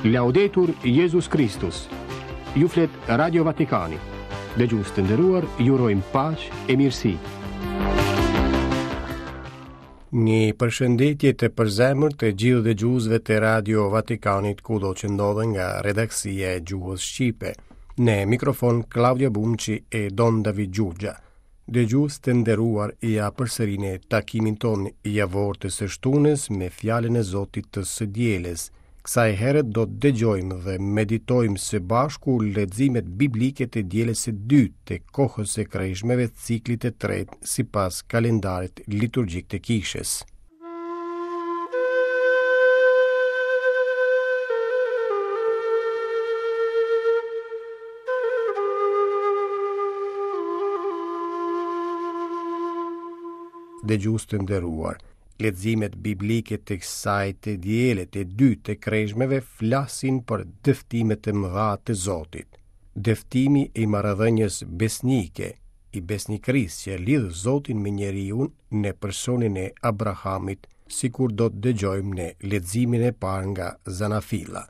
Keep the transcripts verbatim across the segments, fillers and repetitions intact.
Laudetur Jezus Kristus. Ju flet Radio Vatikani. Dëgjues të nderuar, ju urojmë paqe e mirësi. Një përshëndetje të përzemërt të gjithë dëgjuesve të Radio Vatikanit kudo që ndodhen nga redaksia e gjuhës shqipe. Në mikrofon Claudio Bumçi e Don David Gjurgja. Dëgjues të nderuar, ja përsëri në takimin tonë javor të së shtunës me fjalën e Zotit të së dielës. Kësaj here do të dëgjojmë dhe meditojmë së bashku leximet biblike të dielës së dytë të kohës së kreshmeve ciklit të tretë sipas kalendarit liturgjik të kishës. Dëgjues të nderuar, leximet biblike të kësaj të diele të dytë të kreshmeve flasin për dëftimet e mëdha të Zotit. Dëftimi i marrëdhënies besnike, i besnikërisë që lidh Zotin me njeriun në personin e Abrahamit, sikur do të dëgjojmë në leximin e parë nga Zanafilla.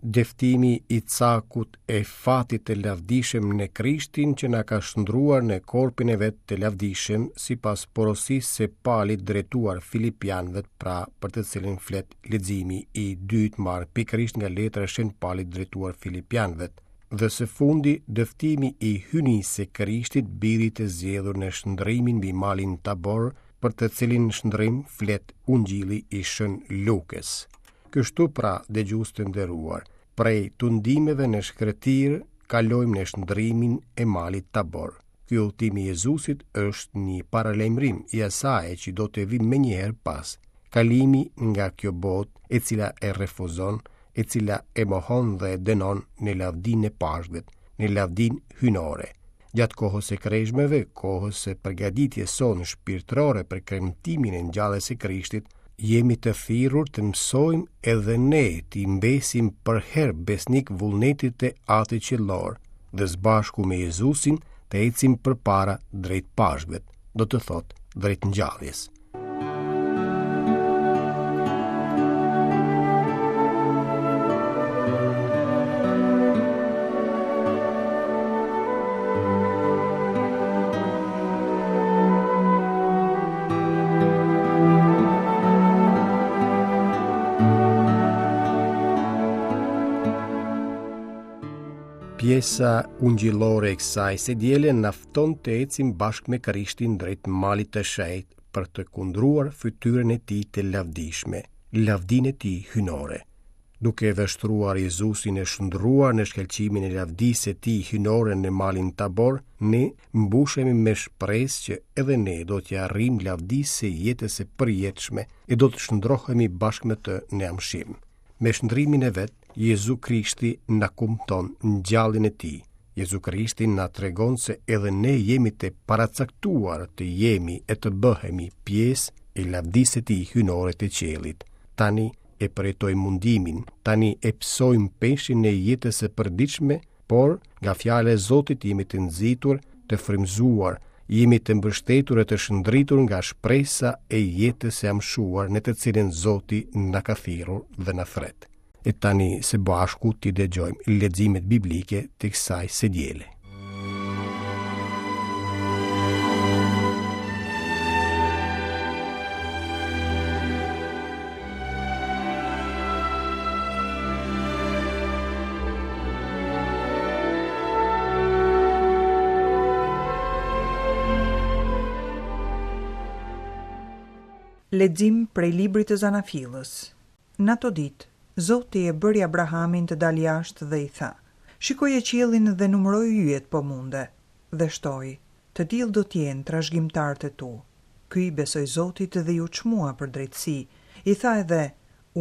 Dëftimi i cakut e fatit të lavdishëm në Krishtin që na ka shndruar në korpin e vet të lavdishëm sipas porosisë së Palit drejtuar Filipianëve, pra për të cilin flet leximi i dytë marrë pikërisht nga letra e Shën Palit drejtuar Filipianëve. Dhe së fundi, dëftimi i hyjnisë së Krishtit, birit të zgjedhur në shndrimin mbi malin Tabor, për të cilin shndrim flet Ungjilli i Shën Lukës. Kështu pra, dëgjues të nderuar, prej tundimeve në shkretir kalojmë në shndrimin e malit Tabor. Ky udhëtim i Jezusit është një paralajmërim i asaj që do të vijë menjëherë pas. Kalimi nga kjo botë e cila e refuzon, e cila e mohon dhe e dënon në lavdinë e Pashkëve, në lavdinë hyjnore. Gjatë kohës së kreshmeve, kohës së përgatitjes sonë shpirtërore për kremtimin e ngjalljes së Krishtit, jemi të thirrur të mësojmë edhe ne t'i mbesim përherë besnik vullnetit të Atit Qiellor dhe së bashku me Jezusin të ecim përpara drejt Pashkëve, do të thotë drejt ngjalljes. Pjesa ungjillore e kësaj së diele na fton të ecim bashkë me Krishtin drejt malit të shenjtë për të kundruar fytyrën e tij të lavdishme, lavdinë e tij hyjnore. Duke vështruar Jezusin e shndruar në shkëlqimin e lavdisë së tij hyjnore në malin Tabor, ne mbushemi me shpresë që edhe ne do t'ia arrijmë lavdisë së jetës së përjetshme e do të shndrohemi bashkë me të në amshim. Me shndrimin e vet, Jezu Krishti na kumton ngjalljen e tij. Jezu Krishti na tregon se edhe ne jemi të paracaktuar të jemi e të bëhemi pjesë e lavdisë së tij hyjnore të qiellit. Tani e përjetojmë mundimin, tani e pësojmë peshin e jetës së përditshme, por nga fjala e Zotit jemi të nxitur, të frymëzuar, jemi të mbështetur e të shndritur nga shpresa e jetës së amshuar në të cilën Zoti na ka thirrur dhe na thret. E tani së bashku t'i dëgjojmë leximet biblike të kësaj së diele. Lexim prej librit të Zanafillës. Në ato ditë, Zoti e bëri Abrahamin të dalë jashtë dhe i tha: Shikoje qiellin dhe numëroi yjet po munde. Dhe shtoi: Të tillë do të jenë trashëgimtarët e tu. Ky i besoi Zotit dhe iu çmua për drejtësi. I tha edhe: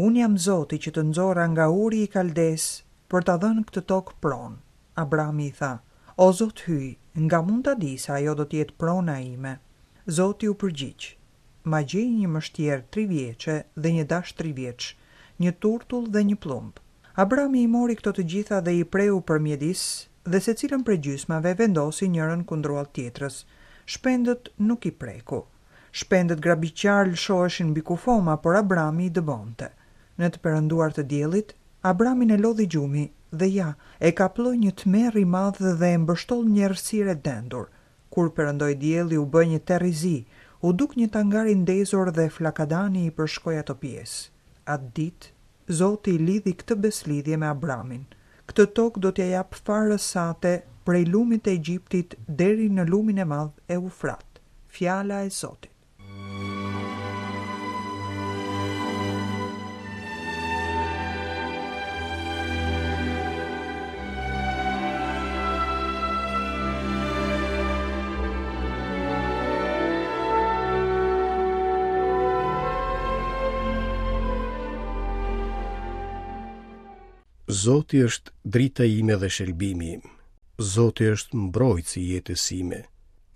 Unë jam Zoti që të nxora nga uri i Kaldes për ta dhënë këtë tokë pronë. Abrami i tha: O Zot hyj, nga mund ta di se ajo do të jetë prona ime? Zoti u përgjigj: Ma gjej një mështjer tri vjeçe dhe një dash tri vjeç, një turtull dhe një plumb. Abrami i mori këto të gjitha dhe i preu për mjedis dhe secilën prej gjysmave vendosi njërën kundruall tjetrës. Shpendët nuk i preku. Shpendët grabiqar lëshoheshin mbi kufoma, por Abrami i dëbonte. Në të perënduar të diellit, Abramin e lodhi gjumi dhe ja, e kaploi një tmerr i madh dhe e mbështoll një errësirë e dendur. Kur perëndoi dielli u bë një terr i zi, u duk një tangar i ndezur dhe flakadani i përshkoi ato pjesë. Atë ditë, Zoti lidhi këtë beslidhje me Abramin. Këtë tokë do t'ja jap farës sate prej lumit të Egjiptit deri në lumin e madh Eufrat. Fjala e Zotit. Zoti është drita ime dhe shëlbimi im. Zoti është mbrojtësi i jetës sime.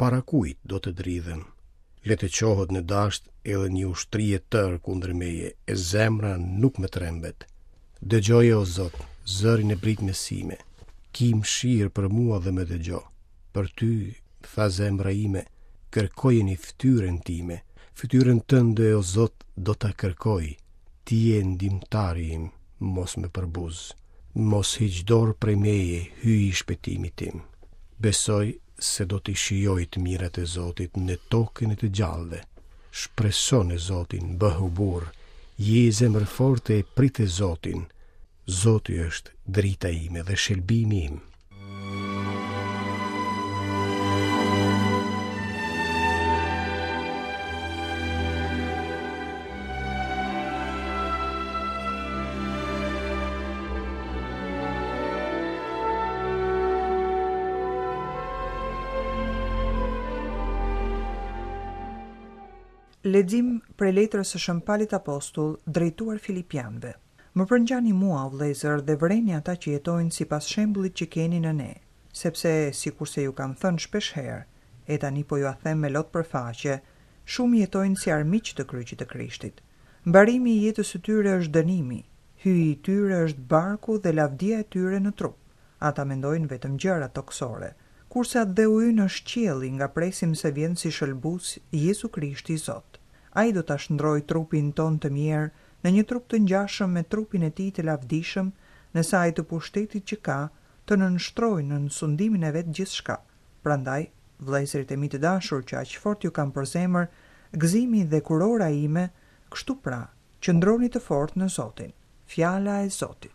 Para kujt do të dridhem? Le të çohet në dasht edhe një ushtri e tërë kundër meje, e zemra nuk më trembet. Dëgjoje, o Zot, zërin e britmës sime. Ki mëshirë për mua dhe më dëgjo. Për ty, tha zemra ime, kërkojeni fytyrën time. Fytyrën tënde, o Zot, do ta kërkoj. Ti je ndihmëtari im, mos më përbuz. Mos hiq dorë prej meje, Hyji i shpëtimit tim. Besoj se do t'i shijoj të mirat e Zotit në tokën e të gjallëve. Shpreso në Zotin, bëhu burrë, ji zemërfortë e prite Zotin. Zoti është drita ime dhe shëlbimi im. Lexim prej letrës së Shën Palit Apostull drejtuar Filipianëve. Më përngjani mua, o vëllezër, dhe vëreni ata që jetojnë sipas shembullit që keni në ne, sepse sikurse ju kam thënë shpesh herë, e tani po jua them me lot për faqe, shumë jetojnë si armiq të kryqit të Krishtit. Mbarimi i jetës së tyre është dënimi, hyi i tyre është barku dhe lavdia e tyre në trup. Ata mendojnë vetëm gjëra tokësore, kurse atdheu ynë është qielli, nga presim se vjen si shëlbues Jezu Krishti Zot. Ai do ta shndrojë trupin tonë të mjerë në një trup të ngjashëm me trupin e tij të lavdishëm, në saj të pushtetit që ka, të nënshtrojë nën sundimin e vet gjithçka. Prandaj, vëllezërit e mi të dashur që aq fort ju kam për zemër, gëzimi dhe kurora ime, kështu pra, qëndroni të fortë në Zotin. Fjala e Zotit.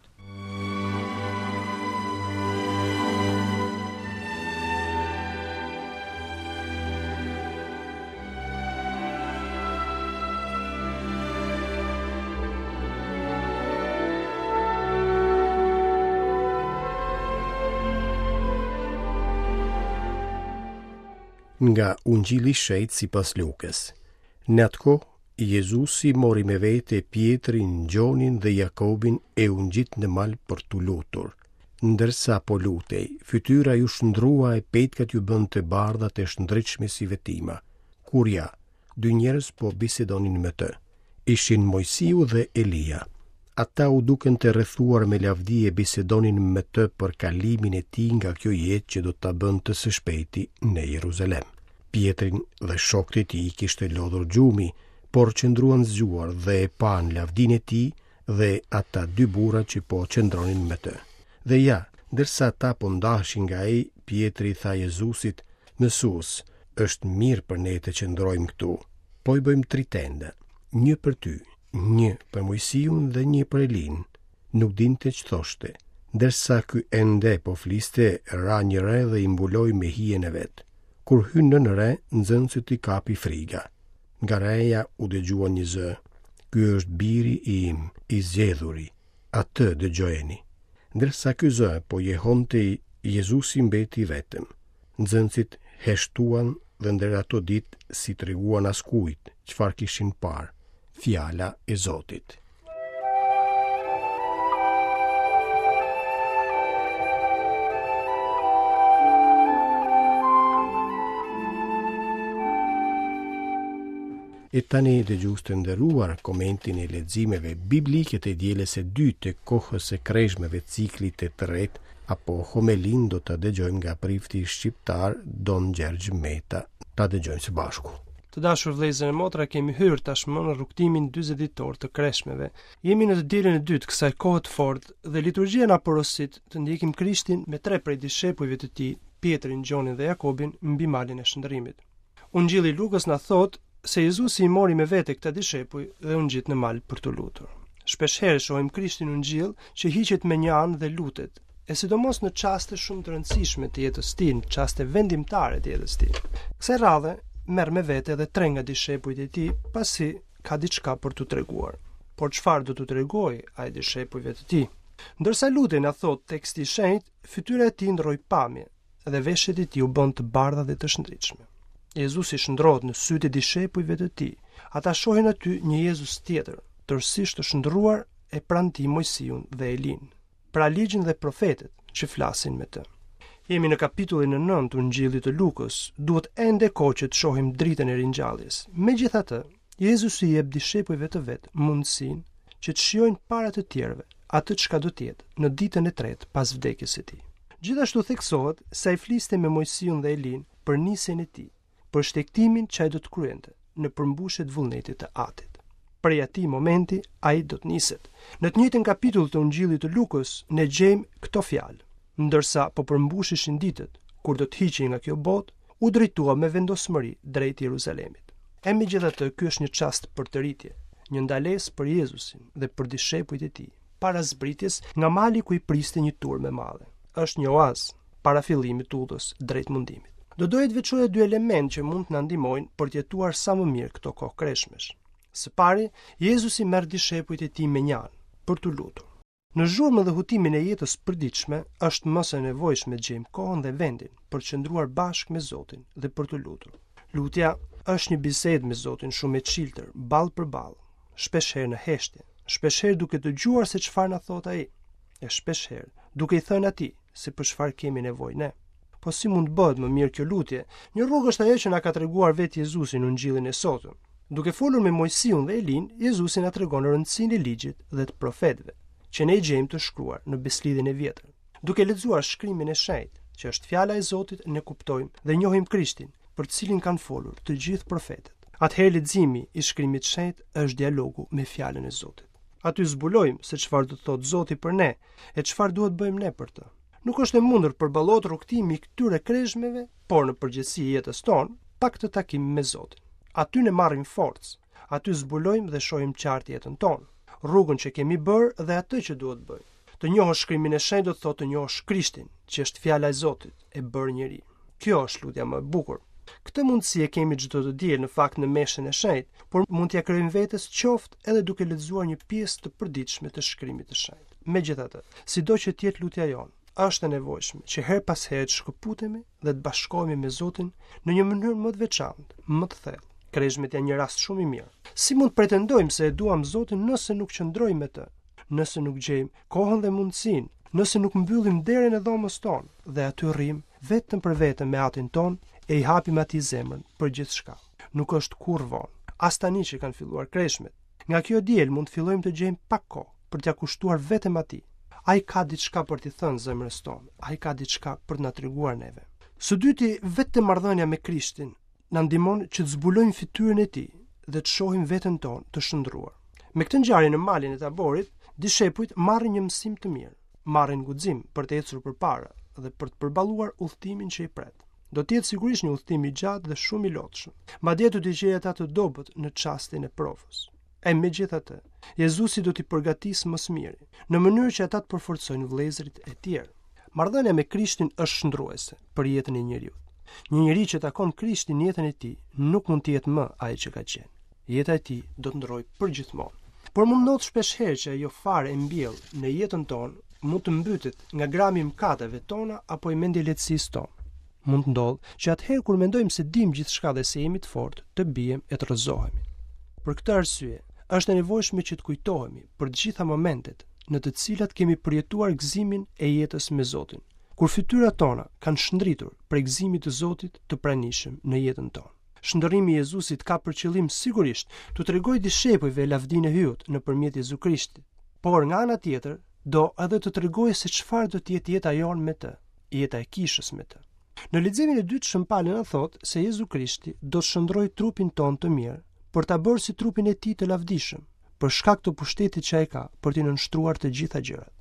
Nga Ungjilli i Shenjtë sipas Lukës. Në atë kohë, Jezusi mori me vete Pietrin, Gjonin dhe Jakobin e u ngjit në mal për t'u lutur. Ndërsa po lutej, fytyra ju shndrua e petkat ju bënë të bardha të shndritshme si vetima. Kur ja, dy njerëz po bisedonin me të. Ishin Mojsiu dhe Elia. Ata u duken të rrethuar me lavdi e bisedonin me të për kalimin e tij nga kjo jetë që do ta bënte së shpejti në Jeruzalem. Pietrin dhe shokët e tij kishte lodhur gjumi, por qëndruan zgjuar dhe e panë lavdinë e tij dhe ata dy burra që po qëndronin me të. Dhe ja, ndërsa ata po ndaheshin nga ai, Pietri i tha Jezusit: Mësues, është mirë për ne të qëndrojmë këtu. Po i bëjmë tri tenda, një për ty, një për Mojsiun dhe një për Elin. Nuk dinte ç'thoshte. Ndërsa ky ende po fliste, ra një re dhe i mbuloi me hijen e vet. Kur hynë në re, nxënësit i kapi friga. Nga reja u dëgjua një zë: Ky është biri im, i zgjedhuri, atë dëgjojeni. Ndërsa ky zë po jehonte, Jezusi mbeti vetëm. Nxënësit heshtuan dhe ndër ato ditë s'i treguan askujt çfarë kishin parë. Fjala e Zotit. E tani, dëgjues të nderuar, komentin e leximeve biblike të dielës së dytë të kohës së kreshmeve ciklit të tretë apo homelinë do ta dëgjojmë nga prifti shqiptar Don Gjergj Meta. Ta dëgjojmë së bashku. Të dashur vëllezër e motra, kemi hyrë tashmë në rrugtimin dyzet ditor të kreshmeve. Jemi në të dielën e dytë kësaj kohe të fortë dhe liturgjia na porosit të ndjekim Krishtin me tre prej dishepujve të tij, Pietrin, Gjonin dhe Jakobin, mbi malin e shndërrimit. Ungjilli i Lukës na thotë se Jezusi i mori me vete këta dishepuj dhe u ngjit në mal për t'u lutur. Shpesh herë shohim Krishtin Ungjill që hiqet me një anë dhe lutet, e sidomos në çaste shumë të rëndësishme të jetës tij, në çaste vendimtare të jetës tij. Kësaj radhe merr me vete edhe tre nga dishepujt e tij, pasi ka diçka për t'u treguar. Por çfarë do t'u tregojë ai dishepujve të tij? Ndërsa lutej, na thot teksti i shenjtë, fytyra e tij ndroi pamje dhe veshjet e tij u bën të bardha dhe të shndritshme. Jezusi shndrohet në sytë e dishepujve të tij. Ata shohin aty një Jezus tjetër, tërësisht të shndruar e pranë tij Mojsiun dhe Elin, pra ligjin dhe profetët që flasin me të. Jemi në kapitullin e nëntë të Ungjillit të Lukës, duhet ende kohë që të shohim dritën e ringjalljes. Megjithatë, Jezusi i jep dishepujve të vet mundësinë që të shijojnë para të tjerëve atë çka do të jetë në ditën e tretë pas vdekjes së tij. Gjithashtu theksohet se ai fliste me Mojsiun dhe Elin për nisjen e tij, për shtegtimin që ai do të kryente në përmbushje të vullnetit të Atit. Prej atij momenti ai do të niset. Në të njëjtin kapitull të Ungjillit të Lukës ne gjejmë këto fjalë. Ndërsa po përmbushishin ditët kur do të hiqej nga kjo botë, u drejtua me vendosmëri drejt Jeruzalemit. E megjithatë, ky është një çast përtëritje, një ndalesë për Jezusin dhe për dishepujt e tij, para zbritjes nga mali ku i priste një turmë e madhe. Është një oaz para fillimit të udhës drejt mundimit. Do doja të veçoja dy elementë që mund të na ndihmojnë për të jetuar sa më mirë këto kohë kreshmesh. Së pari, Jezusi merr dishepujt e tij me një anë për t'u lutur. Në zhurmën dhe hutimin e jetës përditshme është më se nevojshme të gjejmë kohën dhe vendin për të qëndruar bashkë me Zotin dhe për t'u lutur. Lutja është një bisedë me Zotin shumë e çiltër, ball për ball, shpesh herë në heshtje, shpesh herë duke dëgjuar se çfarë na thot ai, e shpesh herë duke i thënë atij se për çfarë kemi nevojë ne. Po si mund të bëhet më mirë kjo lutje? Një rrugë është ajo që na ka treguar vetë Jezusi në Ungjillin e sotëm. Duke folur me Mojsiun dhe Elin, Jezusi na tregon rëndësinë e ligjit dhe të profetëve, që ne i gjejmë të shkruar në Beslidhjen e Vjetër. Duke lexuar shkrimin e shenjtë, që është fjala e Zotit, ne kuptojmë dhe njohim Krishtin, për të cilin kanë folur të gjithë profetët. Atëherë leximi i shkrimit të shenjtë është dialogu me fjalën e Zotit. Aty zbulojmë se çfarë do të thotë Zoti për ne e çfarë duhet bëjmë ne për të. Nuk është e mundur përballohet rrugtimi i këtyre kreshmeve, por në përgjithësi i jetës tonë, pa këtë takim me Zotin. Aty ne marrim forcë, aty zbulojmë dhe shohim qartë jetën tonë, rrugën që kemi bërë dhe atë që duhet bëjmë. Të njohësh shkrimin e shenjtë do të thotë të njohësh Krishtin, që është fjala e Zotit, e bërë njeri. Kjo është lutja më e bukur. Këtë mundësi e kemi çdo të diel në fakt në meshën e shenjtë, por mund t'ia krijojmë vetes qoftë edhe duke lexuar një pjesë të përditshme të shkrimit të shenjtë. Megjithatë, sido që të jetë lutja jonë, është e nevojshme që her pas here të shkëputemi dhe të bashkohemi me Zotin në një mënyrë më të veçantë, më të thellë. Kreshmet janë një rast shumë i mirë. Si mund të pretendojmë se e duam Zotin nëse nuk qëndrojmë me të, nëse nuk gjejmë kohën dhe mundësinë, nëse nuk mbyllim derën e dhomës tonë dhe aty rrim vetëm për vetëm me Atin tonë e i hapim atij zemrën për gjithçka. Nuk është kurrë vonë, as tani që kanë filluar kreshmet. Nga kjo diel mund të fillojmë të gjejmë pak kohë për t'ia kushtuar vetëm atij. Ai ka diçka për t'i thënë zemrës tonë, ai ka diçka për të na treguar neve. Së dyti, vetëm marrëdhënia me Krishtin na ndihmon që të zbulojmë fytyrën e tij dhe të shohim veten tonë të shndruar. Me këtë ngjarje në malin e Taborit, dishepujt marrin një mësim të mirë, marrin guxim për të ecur përpara dhe për të përballuar udhëtimin që i pret. Do të jetë sigurisht një udhëtim i gjatë dhe shumë i lodhshëm. Madje do t'i gjejë ata të dobët në çastin e provës. E megjithatë, Jezusi do t'i përgatisë më së miri, në mënyrë që ata të përforcojnë vëllezërit e tjerë. Marrëdhënia me Krishtin është shndruese për jetën e njeriut. Një njeri që takon Krishtin në jetën e tij nuk mund të jetë më ai që ka qenë. Jeta e tij do të ndrojë përgjithmonë. Por mund ndodh shpesh herë që ajo fare e mbjell në jetën tonë mund të mbytet nga grami i mëkateve tona apo i mendjelehtësisë tonë. Mund të ndodhë që atëherë kur mendojmë se dim gjithçka dhe se jemi të fortë, të biem e të rrëzohemi. Për këtë arsye, është e nevojshme që të kujtohemi për të gjitha momentet në të cilat kemi përjetuar gëzimin e jetës me Zotin, kur fytyrat tona kanë shndritur prej gëzimit të Zotit të pranishëm në jetën tonë. Shndërrimi i Jezusit ka për qëllim sigurisht t'u tregojë dishepujve lavdinë e Hyut nëpërmjet Jezu Krishtit, por nga ana tjetër do edhe të tregojë se çfarë do të jetë jeta jonë me të, jeta e kishës me të. Në leximin e dytë Shën Pali na thotë se Jezu Krishti do të shndërrojë trupin tonë të mjerë për ta bërë si trupin e tij të lavdishëm, për shkak të pushtetit që ai ka për t'i nënshtruar të gjitha gjërat.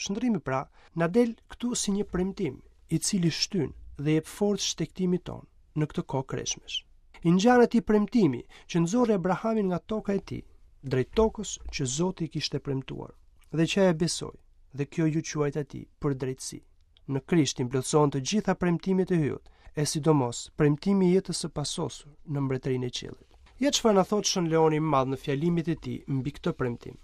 Shndërrimi pra na del këtu si një premtim, i cili shtyn dhe jep forcë shtegtimit tonë në këtë kohë kreshmesh. I ngjan atij premtimi që nxorri Abrahamin nga toka e tij, drejt tokës që Zoti i kishte premtuar, dhe që ai e besoi, dhe kjo iu quajt atij për drejtësi. Në Krishtin plotësohen të gjitha premtimet e Hyjit, e sidomos premtimi i jetës së pasosur në mbretërinë e qiellit. Ja çfarë na thotë Shën Leoni i Madh në fjalimet e tij mbi këtë premtim.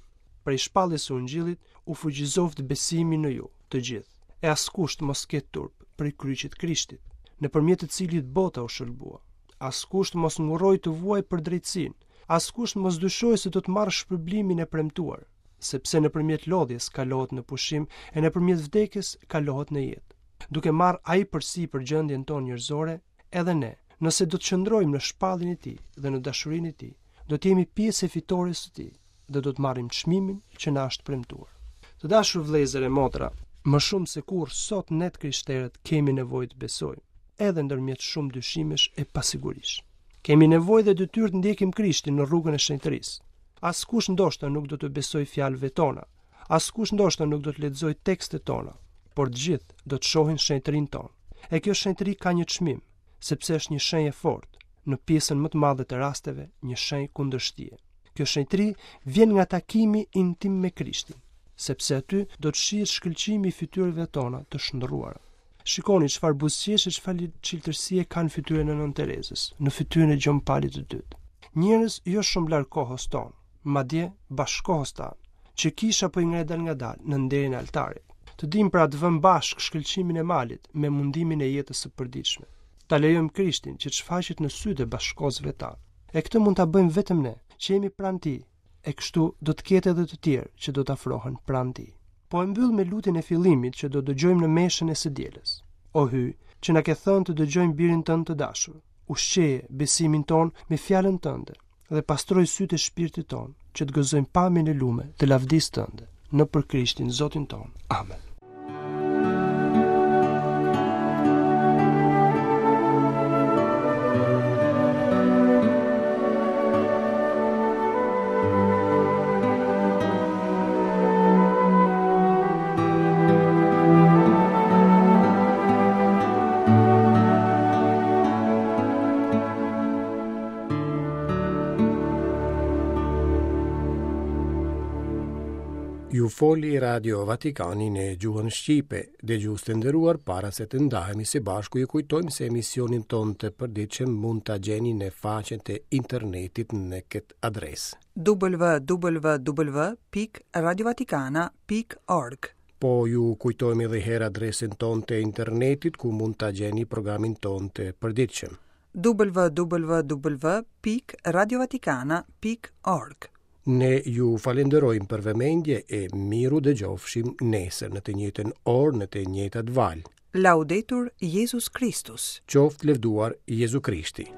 Prej shpalljes së Ungjillit u fuqizoft besimi në ju, të gjithë, e askush të mos ketë turp prej kryqit Krishtit, nëpërmjet të cilit bota u shëlbua. Askush të mos ngurrojë të vuajë për drejtësinë, askush të mos dyshojë se do të marrë shpërblimin e premtuar, sepse nëpërmjet lodhjes kalohet në pushim e nëpërmjet vdekjes kalohet në jetë. Duke marrë ai përsipër gjendjen tonë njerëzore, edhe ne, nëse do të qëndrojmë në shpalljen e tij dhe në dashurinë e tij, do të jemi pjesë e fitores së tij dhe do të marrim çmimin që na është premtuar. Të dashur vëllezër e motra, më shumë se kurrë sot ne të krishterët kemi nevojë të besojmë, edhe ndërmjet shumë dyshimesh e pasigurish. Kemi nevojë dhe detyrë të ndjekim Krishtin në rrugën e shenjtërisë. Askush ndoshta nuk do të besojë fjalëve tona, askush ndoshta nuk do të lexojë tekstet tona, por të gjithë do të shohin shenjtërinë tonë. E kjo shenjtëri ka një çmim, sepse është një shenjë e fortë, në pjesën më të madhe të rasteve, një shenjë kundërshtie. Kjo shenjtëri vjen nga takimi intim me Krishtin, sepse aty do të shihet shkëlqimi i fytyrave tona të shndërruara. Shikoni çfarë buzëqeshje, çfarë çiltërsie kanë fytyrën e Nënë Terezës, në fytyrën e Gjon Palit të dytë. Njerëz jo shumë larg kohës tonë, madje bashkohës tanë, që kisha po i ngre dal ngadalë në nderin e altarit. Të dim pra të vëmë bashkë shkëlqimin e malit me mundimin e jetës së përditshme. Ta lejojmë Krishtin që të shfaqet në sytë e bashkohësve tanë. E këtë mund ta bëjmë vetëm ne, që jemi pranë tij, e kështu do të ketë edhe të tjerë që do të afrohen pranë tij. Po e mbyll me lutjen e fillimit që do dëgjojmë në meshën e së dielës. O Hyj, që na ke thënë të dëgjojmë birin tënd të dashur, ushqeje besimin ton me fjalën tënde dhe pastroj sytë e shpirtit ton, që të gëzojmë pamjen e lume të lavdisë tënde, në për Krishtin Zotin ton. Amen. Ju foli Radio Vatikani në gjuhën shqipe. Dëgjues të nderuar, para se të ndahemi së bashku, ju kujtojmë se emisionin ton të përditshëm mund ta gjeni në faqen e internetit në këtë adresë: w w w pikë radiovatikana pikë org. Po ju kujtojmë edhe herë adresën tonë të internetit ku mund ta gjeni programin ton të përditshëm: w w w pikë radiovatikana pikë org. Ne ju falenderojmë për vëmendje e miru dëgjofshim nesër në të njëjtën orë në të njëjtat valë. Laudetur Jezus Kristus. Qoftë lëvduar Jezu Krishti.